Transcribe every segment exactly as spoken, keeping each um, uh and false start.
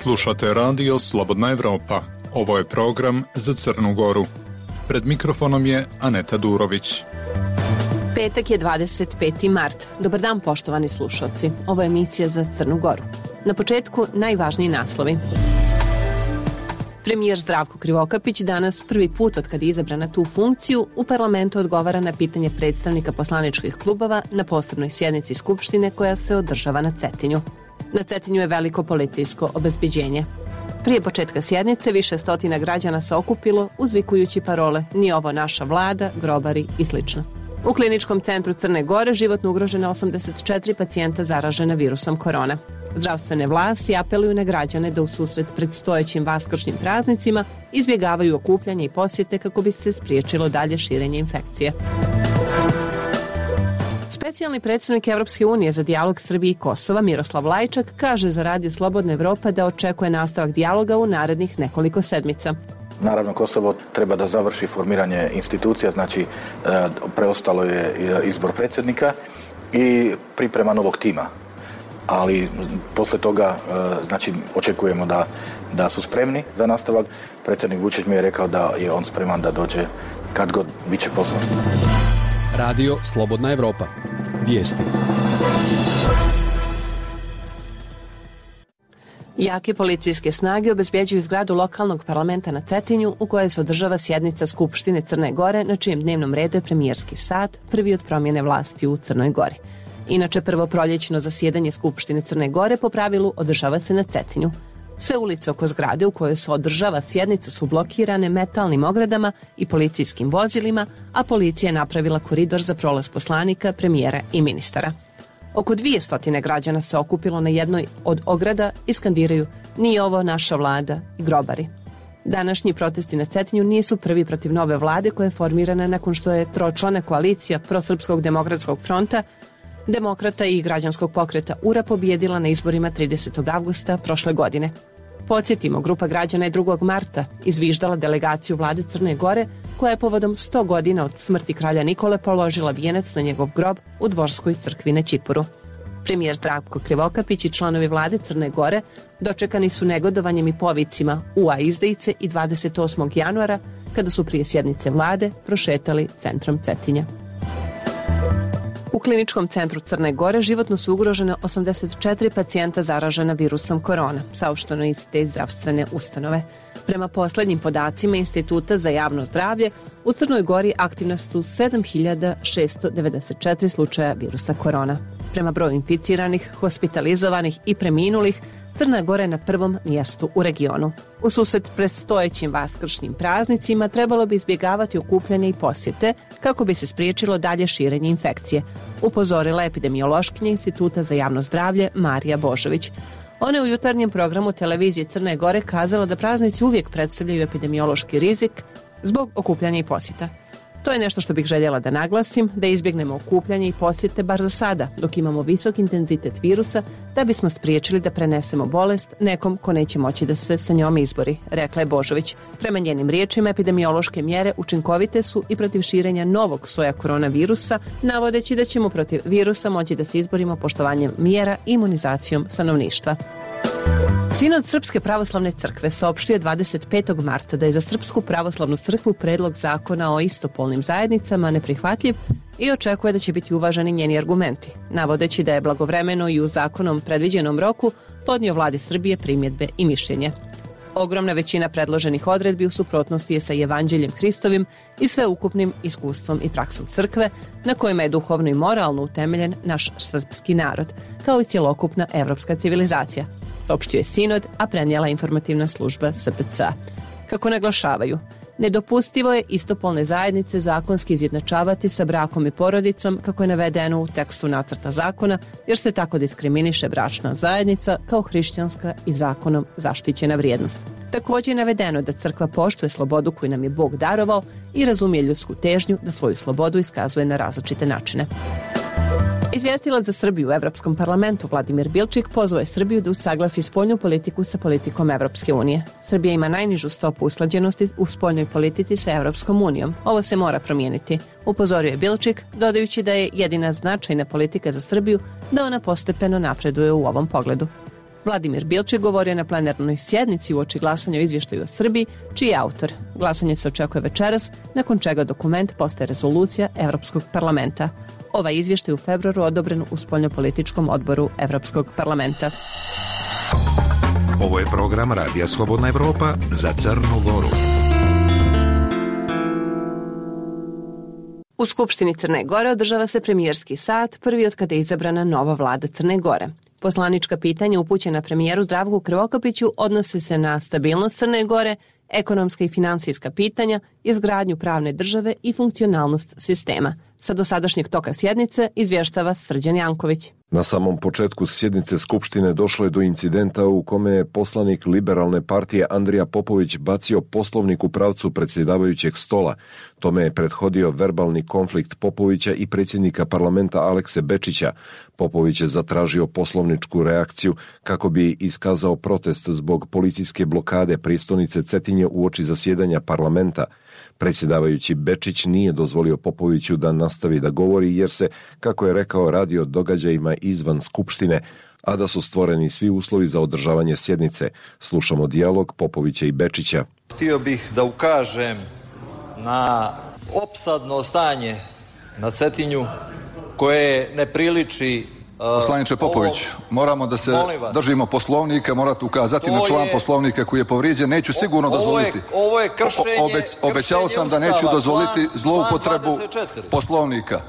Slušate radio Slobodna Evropa. Ovo je program za Crnu Goru. Pred mikrofonom je Aneta Durović. Petak je dvadeset peti mart. Dobar dan, poštovani slušalci. Ovo je emisija za Crnu Goru. Na početku najvažniji naslovi. Premijer Zdravko Krivokapić danas prvi put od kad je izabran na tu funkciju u parlamentu odgovara na pitanje predstavnika poslaničkih klubova na posebnoj sjednici Skupštine koja se održava na Cetinju. Na Cetinju je veliko policijsko obezbeđenje. Prije početka sjednice više stotina građana se okupilo uzvikujući parole "Nije ovo naša vlada, grobari" i slično. U kliničkom centru Crne Gore životno ugrožena osamdeset četiri pacijenta zaražena virusom korona. Zdravstvene vlasti apeluju na građane da u susret predstojećim vaskršnjim praznicima izbjegavaju okupljanje i posjete kako bi se spriječilo dalje širenje infekcije. Specijalni predstavnik Evropske unije za dijalog Srbije i Kosova Miroslav Lajčak kaže za Radio Slobodna Evropa da očekuje nastavak dijaloga u narednih nekoliko sedmica. Naravno, Kosovo treba da završi formiranje institucija, znači preostalo je izbor predsjednika i priprema novog tima. Ali poslije toga, znači, očekujemo da, da su spremni za nastavak. Predsjednik Vučić mi je rekao da je on spreman da dođe kad god bit će pozvan. Radio Slobodna Evropa. Vijesti. Jake policijske snage obezbjeđuju zgradu lokalnog parlamenta na Cetinju u kojoj se održava sjednica Skupštine Crne Gore na čijem dnevnom redu je premijerski sat, prvi od promjene vlasti u Crnoj Gori. Inače, prvo proljećno zasjedanje Skupštine Crne Gore po pravilu održava se na Cetinju. Sve ulice oko zgrade u kojoj se održava sjednica su blokirane metalnim ogradama i policijskim vozilima, a policija je napravila koridor za prolaz poslanika, premijera i ministara. Oko dvije stotine građana se okupilo na jednoj od ograda i skandiraju "Nije ovo naša vlada" i grobari. Današnji protesti na Cetinju nisu prvi protiv nove vlade koja je formirana nakon što je tročlana koalicija Prosrpskog demokratskog fronta, Demokrata i građanskog pokreta U R A pobijedila na izborima tridesetog avgusta prošle godine. Podsjetimo, grupa građana je drugog marta izviždala delegaciju vlade Crne Gore koja je povodom sto godina od smrti kralja Nikole položila vijenac na njegov grob u Dvorskoj crkvi na Ćipuru. Premijer Zdravko Krivokapić i članovi vlade Crne Gore dočekani su negodovanjem i povicima "U A izdajice" i dvadeset osmog januara kada su prije sjednice vlade prošetali centrom Cetinja. U kliničkom centru Crne Gore životno su ugrožene osamdeset četiri pacijenta zaražena virusom korona, saopšteno iz te zdravstvene ustanove. Prema posljednjim podacima Instituta za javno zdravlje, u Crnoj Gori aktivna su sedam hiljada šesto devedeset četiri slučaja virusa korona. Prema broju inficiranih, hospitalizovanih i preminulih, Crna Gora je na prvom mjestu u regionu. U susret predstojećim vaskršnjim praznicima trebalo bi izbjegavati okupljanje i posjete kako bi se spriječilo dalje širenje infekcije, upozorila epidemiološkinja Instituta za javno zdravlje Marija Božović. Ona je u jutarnjem programu televizije Crne Gore kazala da praznici uvijek predstavljaju epidemiološki rizik zbog okupljanja i posjeta. To je nešto što bih željela da naglasim, da izbjegnemo okupljanje i posjete bar za sada, dok imamo visok intenzitet virusa, da bismo spriječili da prenesemo bolest nekom ko neće moći da se sa njom izbori, rekla je Božović. Prema njenim riječima, epidemiološke mjere učinkovite su i protiv širenja novog soja koronavirusa, navodeći da ćemo protiv virusa moći da se izborimo poštovanjem mjera i imunizacijom stanovništva. Sinod Srpske pravoslavne crkve saopštio je dvadeset petog marta da je za Srpsku pravoslavnu crkvu predlog zakona o istopolnim zajednicama neprihvatljiv i očekuje da će biti uvaženi njeni argumenti, navodeći da je blagovremeno i u zakonom predviđenom roku podnio vladi Srbije primjedbe i mišljenje. Ogromna većina predloženih odredbi u suprotnosti je sa Evanđeljem Hristovim i sveukupnim iskustvom i praksom crkve, na kojima je duhovno i moralno utemeljen naš srpski narod, kao i cjelokupna evropska civilizacija, saopštio je Sinod, a prenijela informativna služba S P C A. Kako naglašavaju, nedopustivo je istopolne zajednice zakonski izjednačavati sa brakom i porodicom, kako je navedeno u tekstu nacrta zakona, jer se tako diskriminiše bračna zajednica kao hrišćanska i zakonom zaštićena vrijednost. Također je navedeno da crkva poštuje slobodu koju nam je Bog darovao i razumije ljudsku težnju da svoju slobodu iskazuje na različite načine. Izvjestilac za Srbiju u Evropskom parlamentu Vladimir Bilčik pozvao je Srbiju da usaglasi spoljnu politiku sa politikom Evropske unije. Srbija ima najnižu stopu usklađenosti u spoljnoj politici sa Evropskom unijom. Ovo se mora promijeniti, upozorio je Bilčik, dodajući da je jedina značajna politika za Srbiju da ona postepeno napreduje u ovom pogledu. Vladimir Bilčik govorio na plenarnoj sjednici uoči glasanja o izvještaju o Srbiji, čiji je autor. Glasanje se očekuje večeras, nakon čega dokument postaje rezolucija Evropskog parlamenta. Ovaj izvještaj u februaru odobren u spoljnopolitičkom odboru Evropskog parlamenta. Ovo je program Radija Slobodna Evropa za Crnu Goru. U Skupštini Crne Gore održava se premijerski sat, prvi od kada je izabrana nova vlada Crne Gore. Poslanička pitanja upućena premijeru Zdravku Krivokapiću odnose se na stabilnost Crne Gore, ekonomska i finansijska pitanja, izgradnju pravne države i funkcionalnost sistema. Sa dosadašnjeg toka sjednice izvještava Srđan Janković. Na samom početku sjednice Skupštine došlo je do incidenta u kome je poslanik Liberalne partije Andrija Popović bacio poslovnik u pravcu predsjedavajućeg stola. Tome je prethodio verbalni konflikt Popovića i predsjednika parlamenta Alekse Bečića. Popović je zatražio poslovničku reakciju kako bi iskazao protest zbog policijske blokade prijestolnice Cetinje uoči zasjedanja parlamenta. Predsjedavajući Bečić nije dozvolio Popoviću da nastavi da govori jer se, kako je rekao, radi o događajima izvan Skupštine, a da su stvoreni svi uslovi za održavanje sjednice. Slušamo dijalog Popovića i Bečića. Htio bih da ukažem na opsadno stanje na Cetinju koje ne priliči... Poslaniče Popović, moramo da se držimo Poslovnika, morate ukazati na član Poslovnika koji je povrijeđen. Neću sigurno dozvoliti. Ovo je kršenje... Obećao sam da neću dozvoliti zloupotrebu Poslovnika.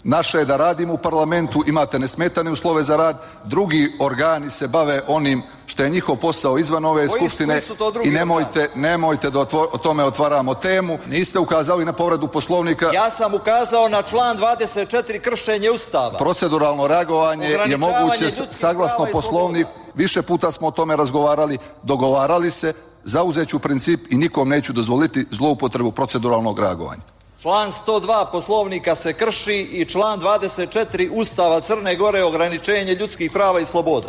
Naše je da radimo u parlamentu, imate nesmetane uslove za rad, drugi organi se bave onim što je njihov posao izvan ove skupštine i nemojte, nemojte da otvor, o tome otvaramo temu. Niste ukazali na povredu Poslovnika. Ja sam ukazao na član dvadeset četiri, kršenje Ustava. Proceduralno reagovanje je moguće saglasno Poslovniku. Više puta smo o tome razgovarali, dogovarali se, zauzeću princip i nikom neću dozvoliti zloupotrebu proceduralnog reagovanja. Član sto dva Poslovnika se krši i član dvadeset četiri Ustava Crne Gore, ograničenje ljudskih prava i sloboda.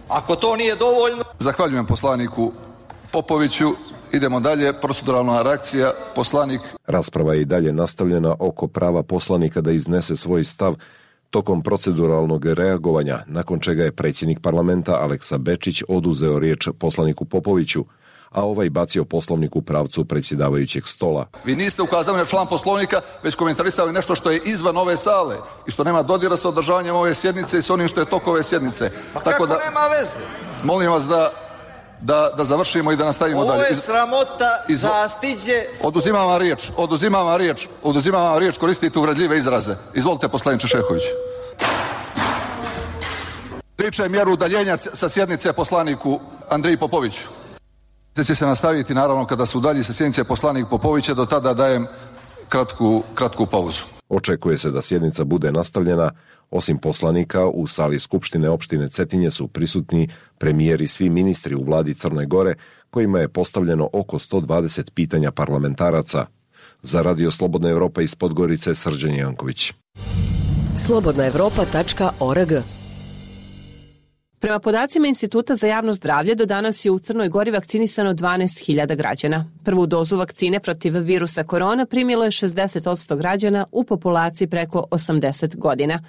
Ako to nije dovoljno... Zahvaljujem poslaniku Popoviću. Idemo dalje. Proceduralna reakcija. Poslanik... Rasprava je i dalje nastavljena oko prava poslanika da iznese svoj stav tokom proceduralnog reagovanja, nakon čega je predsjednik parlamenta Aleksa Bečić oduzeo riječ poslaniku Popoviću, a ovaj bacio poslovnik u pravcu predsjedavajućeg stola. Vi niste ukazali na član Poslovnika, već komentarisali nešto što je izvan ove sale i što nema dodira sa održavanjem ove sjednice i s onim što je tok ove sjednice. Pa tako kako da, nema veze? Molim vas da, da, da završimo i da nastavimo Ovo dalje. Ovo je sramota, Iz... zastiđe... Oduzimam vam riječ, oduzimam vam riječ, oduzimam vam riječ, koristite uvredljive izraze. Izvolite, poslaniče Šehović. Riče mjeru udaljenja sa sjednice poslaniku Andriji Popoviću. Će se nastaviti naravno kada se udalji sa sjednice poslanik Popovića, do tada dajem kratku, kratku pauzu. Očekuje se da sjednica bude nastavljena. Osim poslanika, u sali Skupštine opštine Cetinje su prisutni premijer i svi ministri u vladi Crne Gore, kojima je postavljeno oko sto dvadeset pitanja parlamentaraca. Za Radio Slobodna Evropa iz Podgorice, Srđan Janković. slobodna evropa tačka org. Prema podacima Instituta za javno zdravlje, do danas je u Crnoj Gori vakcinisano dvanaest hiljada građana. Prvu dozu vakcine protiv virusa korona primilo je šezdeset posto građana u populaciji preko osamdeset godina.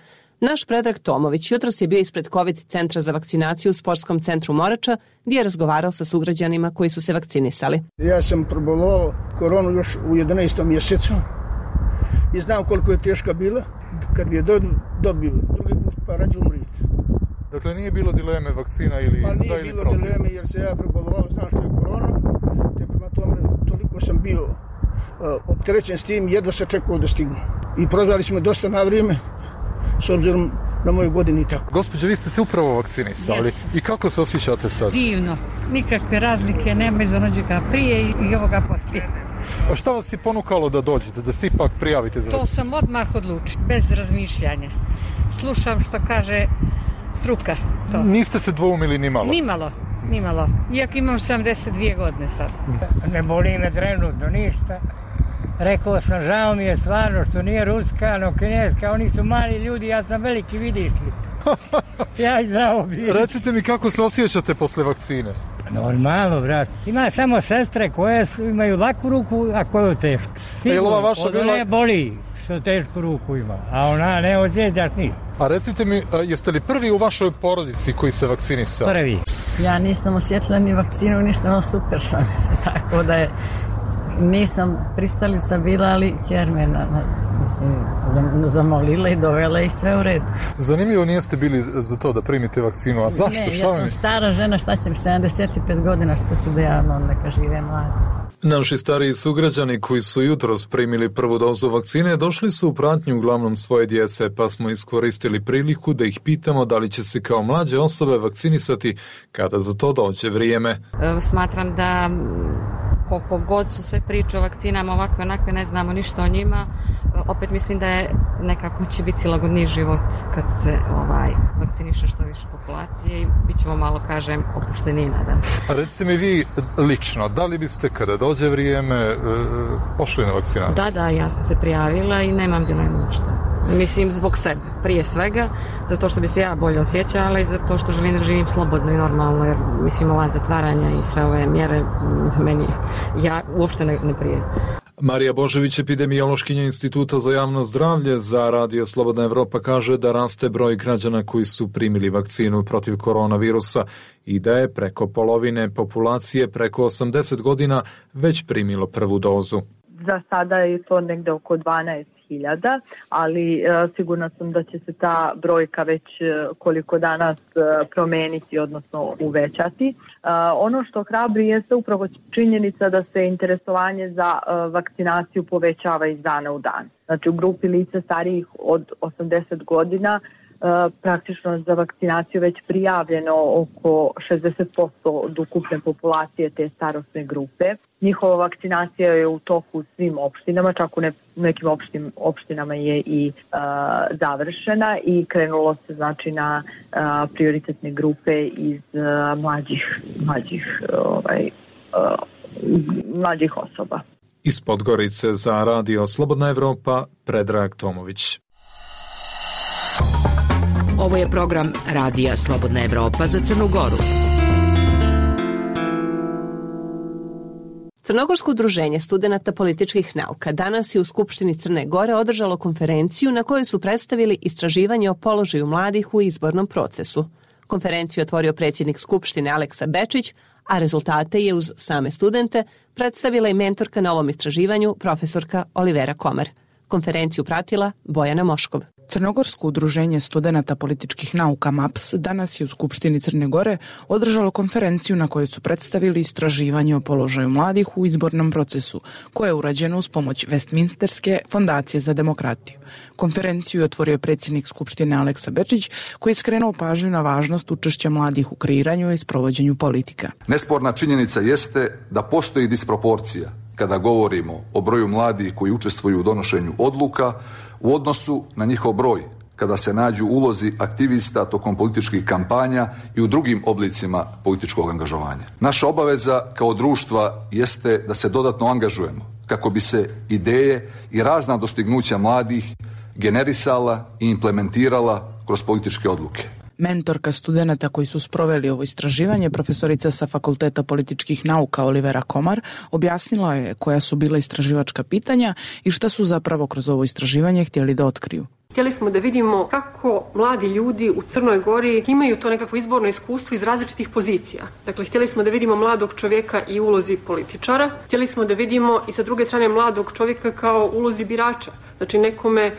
Naš Predrag Tomović jutros je bio ispred COVID centra za vakcinaciju u Sportskom centru Morača, gdje je razgovarao sa sugrađanima koji su se vakcinisali. Ja sam probolovao koronu još u jedanaestom mjesecu i znam koliko je teška bila. Kad bi je dobio drugi put, pa rađe umriti. Dakle, nije bilo dileme vakcina ili pa za ili protiv? Pa nije bilo dileme jer se ja prebolovao, znam što je korona, te prema tome toliko sam bio uh, opterećen s tim, jedva se čekao da stignu. I prozvali smo dosta na vrijeme, s obzirom na moje godine i tako. Gospođo, vi ste se upravo vakcinisali. Yes. I kako se osjećate sad? Divno. Nikakve razlike nema iz onođega prije i ovoga poslije. A šta vas je ponukalo da dođete, da se ipak prijavite za... To sam odmah odlučila, bez razmišljanja. Slušam što kaže struka. To. Niste se dvoumili ni malo? Ni malo, ni malo. Iako imam sedamdeset dvije godine sad. Ne boli me trenutno ništa. Rekao sam, žao mi je stvarno što nije ruska, no kineska, oni su mali ljudi, ja sam veliki, vidiš li. Ja i zdravo bi. Recite mi kako se osjećate posle vakcine? Normalno, brat. Ima samo sestre koje su, imaju laku ruku, a koju tešku. Sigurno, od bila... ne boli. što tešku ruku ima, a ona ne osjećaš ništa. A recite mi, jeste li prvi u vašoj porodici koji se vakcinisao? Prvi. Ja nisam osjetila ni vakcinu, ništa, no super sam. Tako da je, nisam pristalica bila, ali ćer me na, na, mislim, zamolila i dovela i sve u redu. Zanimljivo, nijeste bili za to da primite vakcinu, a zašto? Ne, šta ja sam mi... stara žena, šta će mi, sedamdeset pet godina, što ću da ja neka živem mlada. Naši stariji sugrađani koji su jutros primili prvu dozu vakcine došli su u pratnju uglavnom svoje djece, pa smo iskoristili priliku da ih pitamo da li će se kao mlađe osobe vakcinisati kada za to dođe vrijeme. Smatram da koliko god su sve priče o vakcinama ovakve onakve, ne znamo ništa o njima, opet mislim da je nekako će biti lagodniji život kad se ovaj vakciniše što više populacije i bit ćemo malo, kažem, opušteniji nadam. A recite mi vi lično, da li biste kada dođe vrijeme pošli na vakcinaciju? Da, da, ja sam se prijavila i nemam dilemu ništa. Mislim, zbog sebe, prije svega, zato što bi se ja bolje osjećala i zato što želim da živim slobodno i normalno, jer mislim ova zatvaranja i sve ove mjere meni, ja uopšte ne, ne prije. Marija Božević, epidemiološkinja Instituta za javno zdravlje za Radio Slobodna Evropa, kaže da raste broj građana koji su primili vakcinu protiv koronavirusa i da je preko polovine populacije preko osamdeset godina već primilo prvu dozu. Za sada je to negde oko dvanaest hiljada, ali e, sigurna sam da će se ta brojka već e, koliko danas e, promeniti, odnosno uvećati. E, ono što hrabri jeste upravo činjenica da se interesovanje za e, vakcinaciju povećava iz dana u dan. Znači u grupi lica starijih od osamdeset godina Uh, praktično za vakcinaciju već prijavljeno oko šezdeset posto od ukupne populacije te starosne grupe. Njihova vakcinacija je u toku u svim opštinama, čak u ne, nekim opštim, opštinama je i uh, završena i krenulo se znači na uh, prioritetne grupe iz uh, mlađih, mlađih, ovaj, uh, mlađih osoba. Iz Podgorice za Radio Slobodna Evropa, Predrag Tomović. Ovo je program Radija Slobodna Evropa za Crnu Goru. Crnogorsko udruženje studenata političkih nauka danas je u Skupštini Crne Gore održalo konferenciju na kojoj su predstavili istraživanje o položaju mladih u izbornom procesu. Konferenciju je otvorio predsjednik Skupštine Aleksa Bečić, a rezultate je uz same studente predstavila i mentorka na ovom istraživanju, profesorka Olivera Komar. Konferenciju pratila Bojana Moškov. Crnogorsko udruženje studenata političkih nauka M A P S danas je u Skupštini Crne Gore održalo konferenciju na kojoj su predstavili istraživanje o položaju mladih u izbornom procesu, koje je urađeno uz pomoć Westminsterske fondacije za demokratiju. Konferenciju je otvorio predsjednik Skupštine Aleksa Bečić, koji je skrenuo pažnju na važnost učešća mladih u kreiranju i sprovođenju politika. Nesporna činjenica jeste da postoji disproporcija kada govorimo o broju mladih koji učestvuju u donošenju odluka u odnosu na njihov broj, kada se nađu ulozi aktivista tokom političkih kampanja i u drugim oblicima političkog angažovanja. Naša obaveza kao društva jeste da se dodatno angažujemo kako bi se ideje i razna dostignuća mladih generisala i implementirala kroz političke odluke. Mentorka studenata koji su sproveli ovo istraživanje, profesorica sa Fakulteta političkih nauka Olivera Komar, objasnila je koja su bila istraživačka pitanja i šta su zapravo kroz ovo istraživanje htjeli da otkriju. Htjeli smo da vidimo kako mladi ljudi u Crnoj Gori imaju to nekakvo izborno iskustvo iz različitih pozicija. Dakle, htjeli smo da vidimo mladog čovjeka i ulozi političara. Htjeli smo da vidimo i sa druge strane mladog čovjeka kao ulozi birača. Znači nekome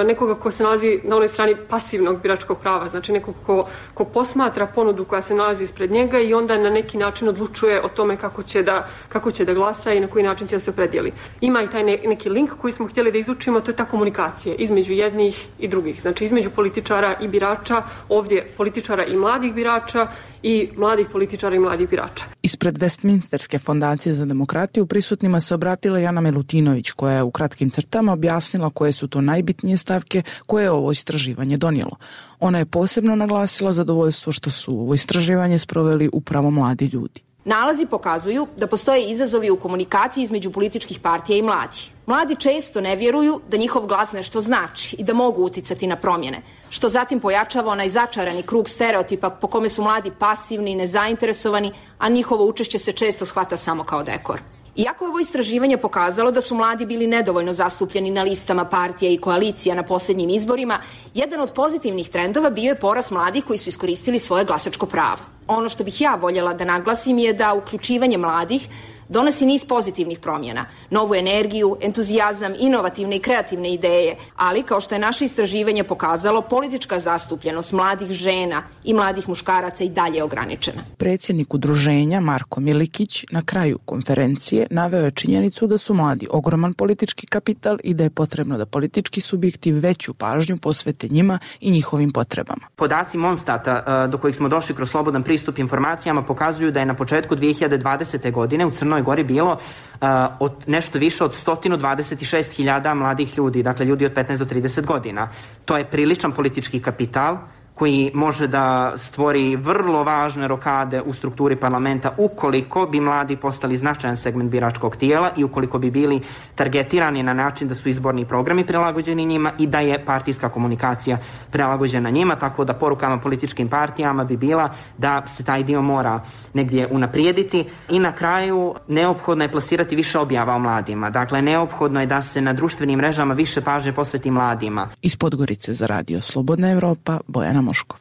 nekoga ko se nalazi na onoj strani pasivnog biračkog prava, znači nekog ko, ko posmatra ponudu koja se nalazi ispred njega i onda na neki način odlučuje o tome kako će da, kako će da glasa i na koji način će da se opredijeli. Ima i taj ne, neki link koji smo htjeli da izučimo, to je ta komunikacija između jednih i drugih, znači između političara i birača, ovdje političara i mladih birača i mladih političara i mladih birača. Ispred Westminsterske fondacije za demokratiju prisutnima se obratila Jana Milutinović, koja je u kratkim crtama objasnila koje su to najbitnije stavke koje je ovo istraživanje donijelo. Ona je posebno naglasila zadovoljstvo što su ovo istraživanje sproveli upravo mladi ljudi. Nalazi pokazuju da postoje izazovi u komunikaciji između političkih partija i mladih. Mladi često ne vjeruju da njihov glas nešto znači i da mogu uticati na promjene, što zatim pojačava onaj začarani krug stereotipa po kome su mladi pasivni i nezainteresovani, a njihovo učešće se često shvata samo kao dekor. Iako je ovo istraživanje pokazalo da su mladi bili nedovoljno zastupljeni na listama partija i koalicija na posljednjim izborima, jedan od pozitivnih trendova bio je porast mladih koji su iskoristili svoje glasačko pravo. Ono što bih ja voljela da naglasim je da uključivanje mladih donosi niz pozitivnih promjena, novu energiju, entuzijazam, inovativne i kreativne ideje, ali kao što je naše istraživanje pokazalo, politička zastupljenost mladih žena i mladih muškaraca i dalje je ograničena. Predsjednik udruženja Marko Milikić na kraju konferencije naveo je činjenicu da su mladi ogroman politički kapital i da je potrebno da politički subjekti veću pažnju posvete njima i njihovim potrebama. Podaci Monstata do kojih smo došli kroz slobodan pristup informacijama pokazuju da je na početku dvije hiljade dvadesete. godine u Crnoj Gori bilo uh, od nešto više od sto dvadeset šest hiljada mladih ljudi, dakle ljudi od petnaest do trideset godina. To je priličan politički kapital koji može da stvori vrlo važne rokade u strukturi parlamenta ukoliko bi mladi postali značajan segment biračkog tijela i ukoliko bi bili targetirani na način da su izborni programi prilagođeni njima i da je partijska komunikacija prilagođena njima, tako da porukama političkim partijama bi bila da se taj dio mora negdje unaprijediti. I na kraju neophodno je plasirati više objava o mladima. Dakle, neophodno je da se na društvenim mrežama više pažnje posveti mladima. Iz Podgorice za radio Slobodna Evropa, Bojana Moškov.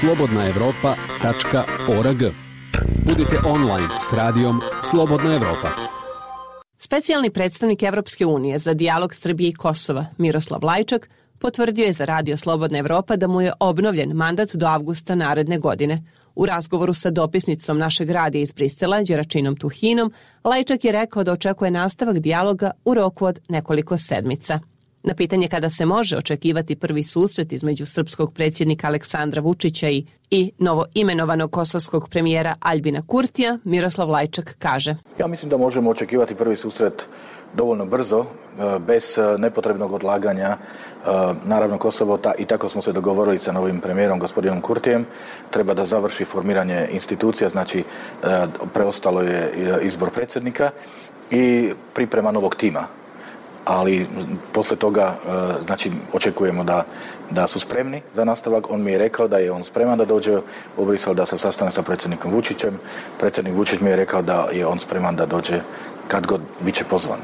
slobodna evropa tačka org. Budite online s radijom Slobodna Evropa. Specijalni predstavnik Evropske unije za dijalog Srbije i Kosova, Miroslav Lajčak, potvrdio je za radio Slobodna Evropa da mu je obnovljen mandat do avgusta naredne godine. U razgovoru sa dopisnicom našeg radija iz Brisela, Đeračinom Tuhinom, Lajčak je rekao da očekuje nastavak dijaloga u roku od nekoliko sedmica. Na pitanje kada se može očekivati prvi susret između srpskog predsjednika Aleksandra Vučića i, i novo imenovanog kosovskog premijera Aljbina Kurtija, Miroslav Lajčak kaže: Ja mislim da možemo očekivati prvi susret dovoljno brzo, bez nepotrebnog odlaganja. Naravno, Kosovo, ta, i tako smo se dogovorili sa novim premijerom, gospodinom Kurtijem, treba da završi formiranje institucija, znači preostalo je izbor predsjednika i priprema novog tima. Ali posle toga, znači, očekujemo da, da su spremni za nastavak. On mi je rekao da je on spreman da dođe u Brisel, da se sastane sa predsjednikom Vučićem. Predsjednik Vučić mi je rekao da je on spreman da dođe kad god bit će pozvan.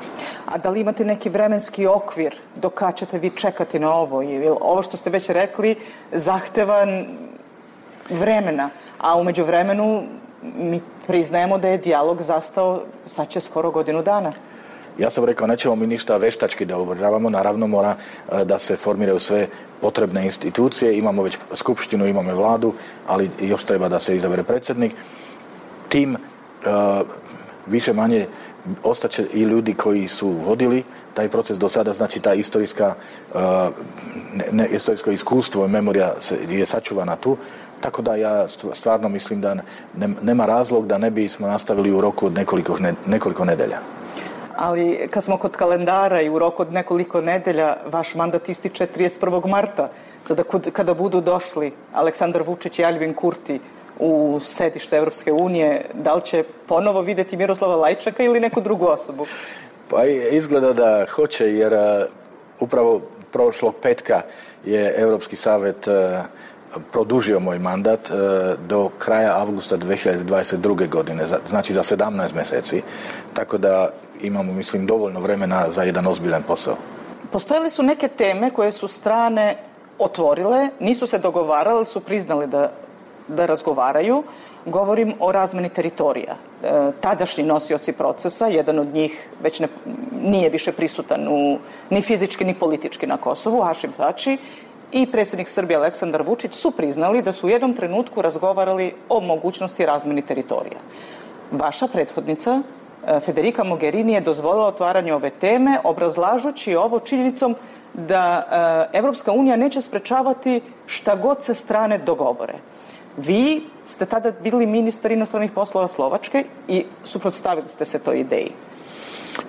A da li imate neki vremenski okvir do kad ćete vi čekati na ovo? Jer ovo što ste već rekli zahteva vremena, a u međuvremenu mi priznajemo da je dijalog zastao sad će skoro godinu dana. Ja sam rekao, nećemo mi ništa veštački da obržavamo, naravno mora da se formiraju sve potrebne institucije, imamo već skupštinu, imamo vladu, ali još treba da se izabere predsjednik. Tim više manje ostaće i ljudi koji su vodili taj proces do sada, znači ta istorijska, ne, ne, istorijsko iskustvo i memorija se, je sačuvana tu, tako da ja stvarno mislim da ne, nema razlog da ne bismo nastavili u roku od nekoliko, ne, nekoliko nedelja. Ali kad smo kod kalendara i u roku od nekoliko nedelja, vaš mandat ističe trideset prvog marta. Sada kada budu došli Aleksandar Vučić i Aljbin Kurti u sedište Evropske unije, da li će ponovo vidjeti Miroslava Lajčaka ili neku drugu osobu? Pa izgleda da hoće, jer uh, upravo prošlog petka je Europski savjet uh, produžio moj mandat uh, do kraja avgusta dvije hiljade dvadeset druge. godine, za, znači za sedamnaest mjeseci. Tako da imamo, mislim, dovoljno vremena za jedan ozbiljan posao. Postojale su neke teme koje su strane otvorile, nisu se dogovarale, ali su priznali da, da razgovaraju. Govorim o razmeni teritorija. E, tadašnji nosioci procesa, jedan od njih već ne, nije više prisutan u, ni fizički ni politički na Kosovu, Hašim Tači, i predsjednik Srbije Aleksandar Vučić su priznali da su u jednom trenutku razgovarali o mogućnosti razmeni teritorija. Vaša prethodnica Federica Mogherini je dozvolila otvaranje ove teme, obrazlažući ovo činjenicom da Evropska unija neće sprečavati šta god se strane dogovore. Vi ste tada bili ministar inostranih poslova Slovačke i suprotstavili ste se toj ideji.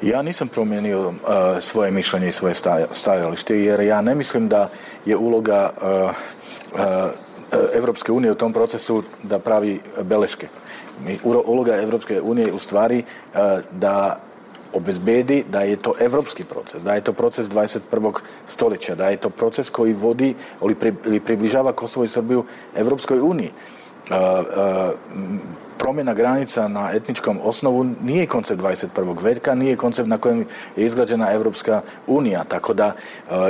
Ja nisam promijenio uh, svoje mišljenje i svoje stajalište, jer ja ne mislim da je uloga uh, uh, Evropske unije u tom procesu da pravi beleške. Uloga Evropske unije u stvari uh, da obezbedi da je to evropski proces, da je to proces dvadeset prvog stoljeća, da je to proces koji vodi ili približava Kosovo i Srbiju Evropskoj uniji. promjena granica na etničkom osnovu nije koncept dvadeset prvog veka, nije koncept na kojem je izgrađena Evropska unija. Tako da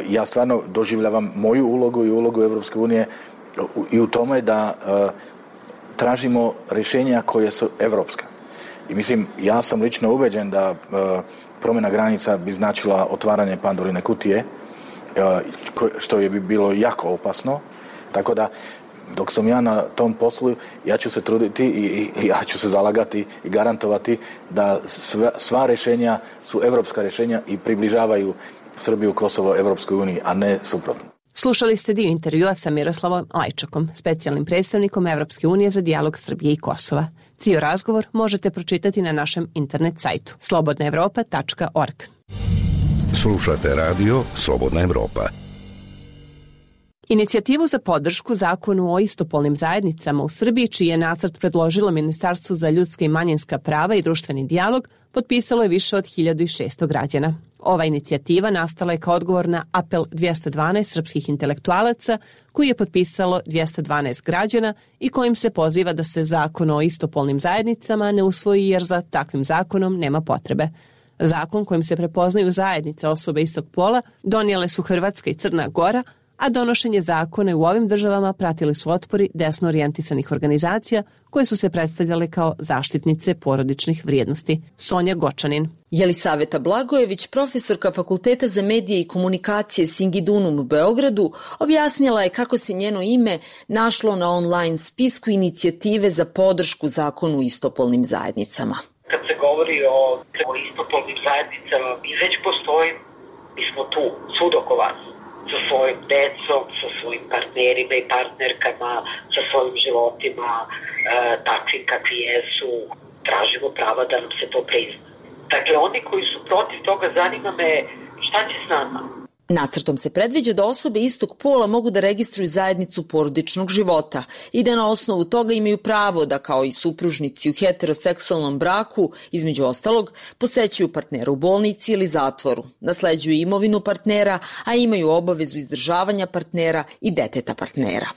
ja stvarno doživljavam moju ulogu i ulogu Evropske unije i u tome da tražimo rješenja koje su evropska. I mislim, ja sam lično ubeđen da promjena granica bi značila otvaranje Pandorine kutije, što je bi bilo jako opasno. Tako da dok sam ja na tom poslu, ja ću se truditi i, i ja ću se zalagati i garantovati da sva, sva rješenja su evropska rješenja i približavaju Srbiju, Kosovo Evropskoj uniji, a ne suprotno. Slušali ste dio intervjua sa Miroslavom Lajčakom, specijalnim predstavnikom Evropske unije za dijalog Srbije i Kosova. Cijel razgovor možete pročitati na našem internet sajtu slobodna evropa tačka org. Slušate radio Slobodna Evropa. Inicijativu za podršku zakonu o istopolnim zajednicama u Srbiji, čiji je nacrt predložilo Ministarstvo za ljudska i manjinska prava i društveni dijalog, potpisalo je više od hiljadu šesto građana. Ova inicijativa nastala je kao odgovor na apel dvjesto dvanaest srpskih intelektualaca, koji je potpisalo dvjesto dvanaest građana i kojim se poziva da se zakon o istopolnim zajednicama ne usvoji jer za takvim zakonom nema potrebe. Zakon kojim se prepoznaju zajednice osobe istog pola donijele su Hrvatska i Crna Gora, a donošenje zakona u ovim državama pratili su otpori desno orijentisanih organizacija koje su se predstavljale kao zaštitnice porodičnih vrijednosti. Sonja Gočanin. Jelisaveta Blagojević, profesorka Fakulteta za medije i komunikacije Singidunum u Beogradu, objasnila je kako se njeno ime našlo na online spisku inicijative za podršku zakonu o istopolnim zajednicama. Kad se govori o, o istopolnim zajednicama, mi već postoji, mi smo tu, svud oko vas. Sa svojim decom, sa svojim partnerima i partnerkama, sa svojim životima, e, takvim kakvi jesu, tražimo prava da nam se to prizna. Dakle, oni koji su protiv toga, zanima me šta će s nama. Nacrtom se predviđa da osobe istog pola mogu da registruju zajednicu porodičnog života i da na osnovu toga imaju pravo da, kao i supružnici u heteroseksualnom braku, između ostalog, posećuju partnera u bolnici ili zatvoru, nasleđuju imovinu partnera, a imaju obavezu izdržavanja partnera i deteta partnera.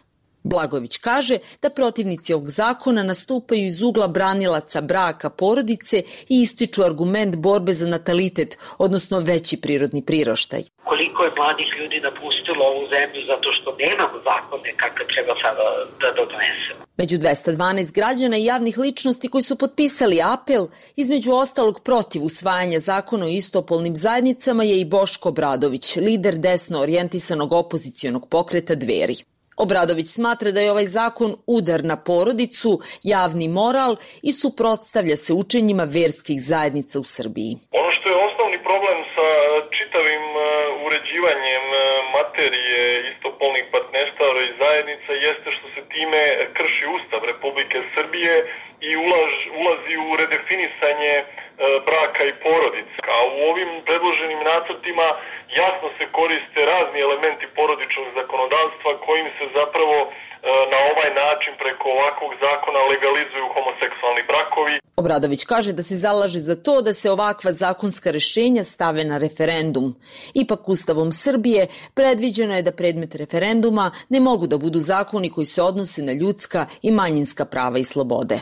Blagojević kaže da protivnici ovog zakona nastupaju iz ugla branilaca braka porodice i ističu argument borbe za natalitet, odnosno veći prirodni priraštaj. Koliko je mladih ljudi napustilo ovu zemlju zato što nemamo zakone kakve treba sada da donesemo. Među dvjesto dvanaest građana i javnih ličnosti koji su potpisali apel, između ostalog protiv usvajanja zakona o istopolnim zajednicama, je i Boško Obradović, lider desno orijentisanog opozicionog pokreta Dveri. Obradović smatra da je ovaj zakon udar na porodicu, javni moral i suprotstavlja se učenjima verskih zajednica u Srbiji. Ono što je osnovni problem sa čitavim uređivanjem materije istopolnih partnerstava i zajednica jeste što se time krši Ustav Republike Srbije i ulaž, ulazi u redefinisanje braka i porodice. A u ovim predloženim nacrtima jasno se koriste razni elementi porodičnog zakonodavstva kojim se zapravo na ovaj način preko ovakvog zakona legalizuju homoseksualni brakovi. Obradović kaže da se zalaže za to da se ovakva zakonska rješenja stave na referendum. Ipak Ustavom Srbije predviđeno je da predmet referenduma ne mogu da budu zakoni koji se odnose na ljudska i manjinska prava i slobode.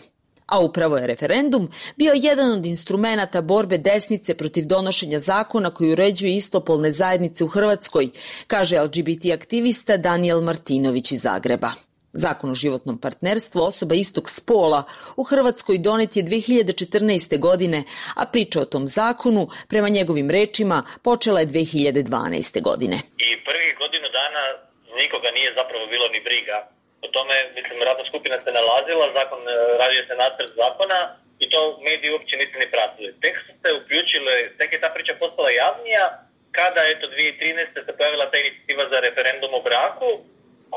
A upravo je referendum bio jedan od instrumenata borbe desnice protiv donošenja zakona koji uređuje istopolne zajednice u Hrvatskoj, kaže el ge be te aktivista Danijel Martinović iz Zagreba. Zakon o životnom partnerstvu osoba istog spola u Hrvatskoj donet je dve hiljade četrnaeste. godine, a priča o tom zakonu, prema njegovim rečima, počela je dve hiljade dvanaeste. godine. I prvih godinu dana nikoga nije zapravo bilo ni briga. O tome, mislim, radna skupina se nalazila, zakon, radio se nacrt zakona i to mediji uopće nisu ni pratili. Tek su se uključile, tek je ta priča postala javnija kada, eto, dvije hiljade trinaeste. se pojavila ta inicijativa za referendum o braku,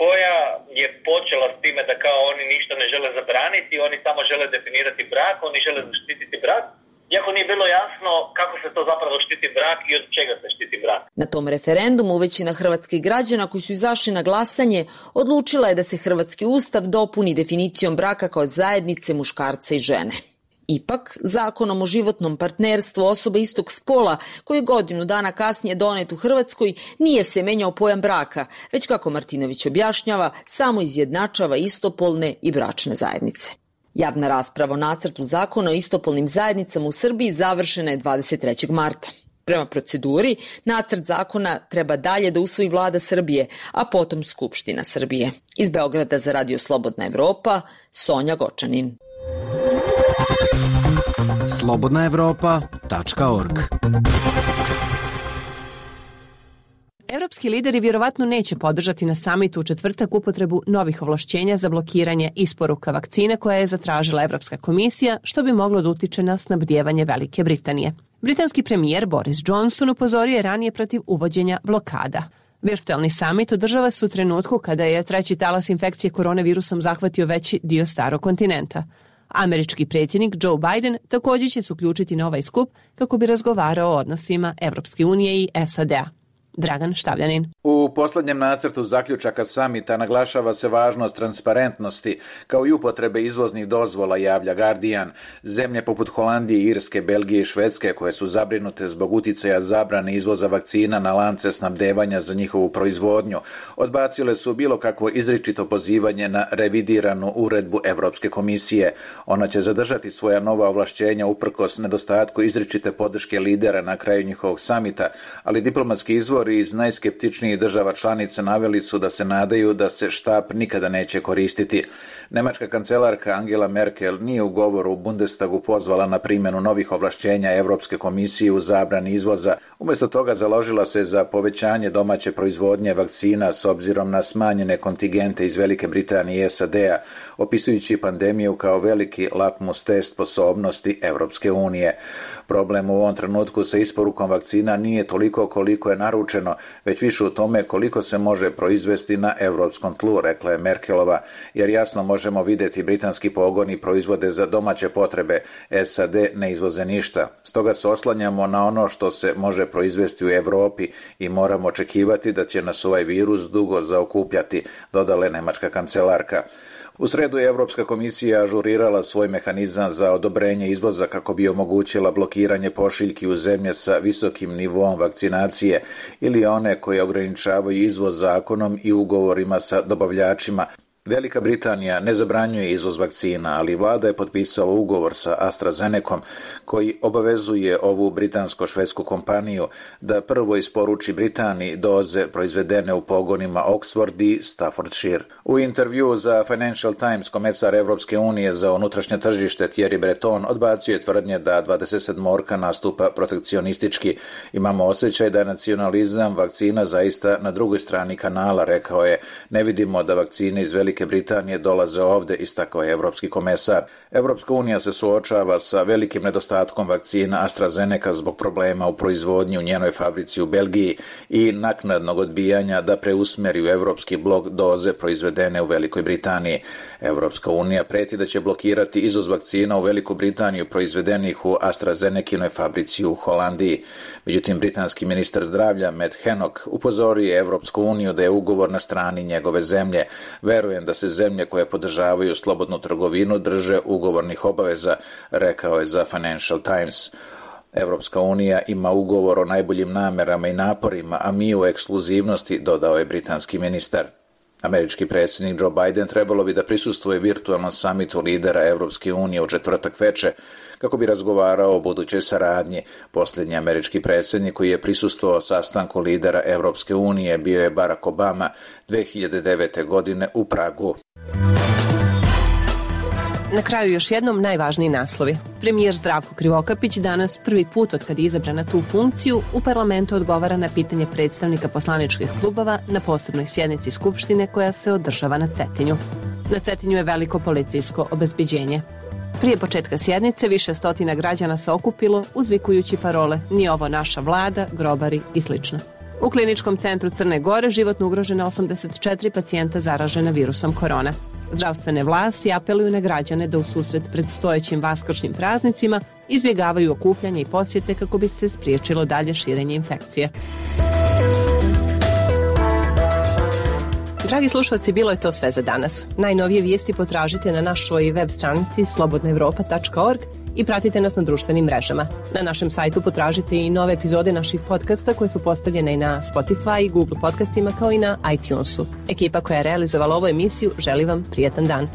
koja je počela s time da kao oni ništa ne žele zabraniti, oni samo žele definirati brak, oni žele zaštititi brak. Iako nije bilo jasno kako se to zapravo štiti brak i od čega se štiti brak. Na tom referendumu većina hrvatskih građana koji su izašli na glasanje odlučila je da se hrvatski ustav dopuni definicijom braka kao zajednice muškarca i žene. Ipak, zakonom o životnom partnerstvu osoba istog spola, koji je godinu dana kasnije donet u Hrvatskoj, nije se menjao pojam braka, već kako Martinović objašnjava, samo izjednačava istopolne i bračne zajednice. Javna rasprava o nacrtu zakona o istopolnim zajednicama u Srbiji završena je dvadeset trećeg marta. Prema proceduri, nacrt zakona treba dalje da usvoji Vlada Srbije, a potom Skupština Srbije. Iz Beograda za Radio Slobodna Evropa, Sonja Gočanin. slobodna evropa tačka org. Evropski lideri vjerovatno neće podržati na samitu u četvrtak upotrebu novih ovlašćenja za blokiranje isporuka vakcine koja je zatražila Evropska komisija, što bi moglo da utiče na snabdijevanje Velike Britanije. Britanski premijer Boris Johnson upozorio je ranije protiv uvođenja blokada. Virtualni samit održava se u trenutku kada je treći talas infekcije koronavirusom zahvatio veći dio starog kontinenta. Američki predsjednik Joe Biden također će se uključiti na ovaj skup kako bi razgovarao o odnosima Evropske unije i S A D-a. Dragan Štavljanin. U posljednjem nacrtu zaključaka samita naglašava se važnost transparentnosti kao i upotrebe izvoznih dozvola, javlja Guardian. Zemlje poput Holandije, Irske, Belgije i Švedske, koje su zabrinute zbog uticaja zabrane izvoza vakcina na lance snabdevanja za njihovu proizvodnju, odbacile su bilo kakvo izričito pozivanje na revidiranu uredbu Evropske komisije. Ona će zadržati svoja nova ovlašćenja uprkos nedostatku izričite podrške lidera na kraju njihovog samita, ali diplomatski izvor iz najskeptičnijih država članica naveli su da se nadaju da se štap nikada neće koristiti. Nemačka kancelarka Angela Merkel nije u govoru u Bundestagu pozvala na primjenu novih ovlašćenja Evropske komisije u zabrani izvoza. Umjesto toga založila se za povećanje domaće proizvodnje vakcina s obzirom na smanjene kontingente iz Velike Britanije i S A D-a, opisujući pandemiju kao veliki lakmus test sposobnosti Evropske unije. Problem u ovom trenutku sa isporukom vakcina nije toliko koliko je naručeno, već više u tome koliko se može proizvesti na evropskom tlu, rekla je Merkelova, jer jasno možemo vidjeti britanski pogoni proizvode za domaće potrebe, S A D ne izvoze ništa. Stoga se oslanjamo na ono što se može proizvesti u Europi i moramo očekivati da će nas ovaj virus dugo zaokupljati, dodala je nemačka kancelarka. U sredu je Evropska komisija ažurirala svoj mehanizam za odobrenje izvoza kako bi omogućila blokiranje pošiljki u zemlje sa visokim nivoom vakcinacije ili one koje ograničavaju izvoz zakonom i ugovorima sa dobavljačima. Velika Britanija ne zabranjuje izvoz vakcina, ali vlada je potpisala ugovor sa AstraZenecom koji obavezuje ovu britansko-švedsku kompaniju da prvo isporuči Britaniji doze proizvedene u pogonima Oxford i Staffordshire. U intervju za Financial Times komesar Evropske unije za unutrašnje tržište Thierry Breton odbacio je tvrdnje da dvadeset sedmorka nastupa protekcionistički. Imamo osjećaj da je nacionalizam vakcina zaista na drugoj strani kanala, rekao je. Ne vidimo da vakcine iz Velike Britanije dolaze ovde, istakao je evropski komesar. Evropska unija se suočava sa velikim nedostatkom vakcina AstraZeneca zbog problema u proizvodnji u njenoj fabrici u Belgiji i naknadnog odbijanja da preusmeri u evropski blok doze proizvedene u Velikoj Britaniji. Evropska unija preti da će blokirati izvoz vakcina u Veliku Britaniju proizvedenih u AstraZenecinoj fabrici u Holandiji. Međutim, britanski ministar zdravlja Matt Hancock upozorio je Evropsku uniju da je ugovor na strani njegove zemlje. Verujem da se zemlje koje podržavaju slobodnu trgovinu drže ugovornih obaveza, rekao je za Financial Times. Evropska unija ima ugovor o najboljim namerama i naporima, a mi u ekskluzivnosti, dodao je britanski ministar. Američki predsjednik Joe Biden trebalo bi da prisustvuje virtualnom samitu lidera Evropske unije u četvrtak veče kako bi razgovarao o budućoj saradnji. Posljednji američki predsjednik koji je prisustvovao sastanku lidera Evropske unije bio je Barack Obama dve hiljade devete. godine u Pragu. Na kraju još jednom najvažniji naslovi. Premijer Zdravko Krivokapić danas prvi put od kad je izabran na tu funkciju u parlamentu odgovara na pitanje predstavnika poslaničkih klubova na posebnoj sjednici Skupštine koja se održava na Cetinju. Na Cetinju je veliko policijsko obezbeđenje. Prije početka sjednice više stotina građana se okupilo uzvikujući parole "Nije ovo naša vlada", "Grobari" i slično. U kliničkom centru Crne Gore životno ugrožena osamdeset četiri pacijenta zaražena virusom korona. Zdravstvene vlasti apeluju na građane da u susret predstojećim vaskršnjim praznicima izbjegavaju okupljanje i posjete kako bi se spriječilo dalje širenje infekcije. Dragi slušalci, bilo je to sve za danas. Najnovije vijesti potražite na našoj web stranici slobodna evropa tačka org i pratite nas na društvenim mrežama. Na našem sajtu potražite i nove epizode naših podcasta koje su postavljene i na Spotify i Google podcastima kao i na iTunesu. Ekipa koja je realizovala ovu emisiju želi vam prijetan dan.